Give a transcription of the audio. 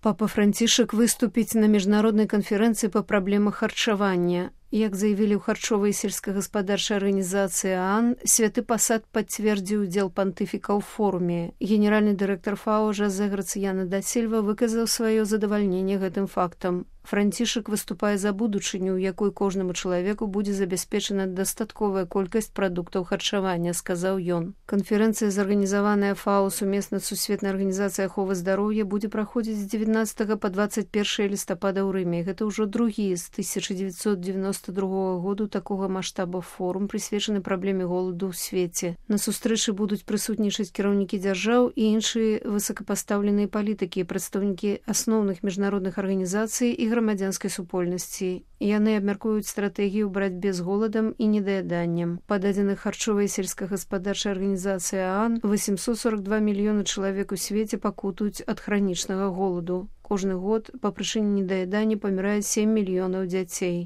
Папа Францішак выступіць на міжнароднай канферэнцыі па праблемах харчавання. Як заявілі ў харчовай сельскагаспадарчай арганізацыі ААН, святы пасад пацвердзіў удзел пантыфіка ў форуме. Генеральны дырэктар ФАО Жозе Грацыяна да Сільва выказаў сваё задавальненне гэтым фактам. Францішак выступае за будучыню, у якой кожнаму чалавеку будзе забяспечана дастатковая колькасць прадуктаў харчавання, сказаў ён. Канферэнцыя, зарганізаваная ФАО сумесна з Сусветнай арганізацыяй аховы здароўя, будзе праходзіць з 19 па 21 лістапада ў Рыме. Гэта ўжо другі з 1992 году такога маштаба форум, прысвечаны праблеме голаду ў свеце. На сустрэчы будуць прысутнічаць кіраўнікі дзяржаў і іншыя высокапастаўленыя палітыкі, прадстаўнікі асноўных міжнародных арганізацый і грамадзянскай супольнасці. Яны абмяркуюць стратэгію ў барацьбе з голадам і недаяданнем. Па дадзеных харчовай сельскагаспадарчай арганізацыі ААН 842 мільёны чалавек у свеце пакутуюць ад хранічнага голаду. Кожны год па прычыне недаядання памірае 7 мільёнаў дзяцей.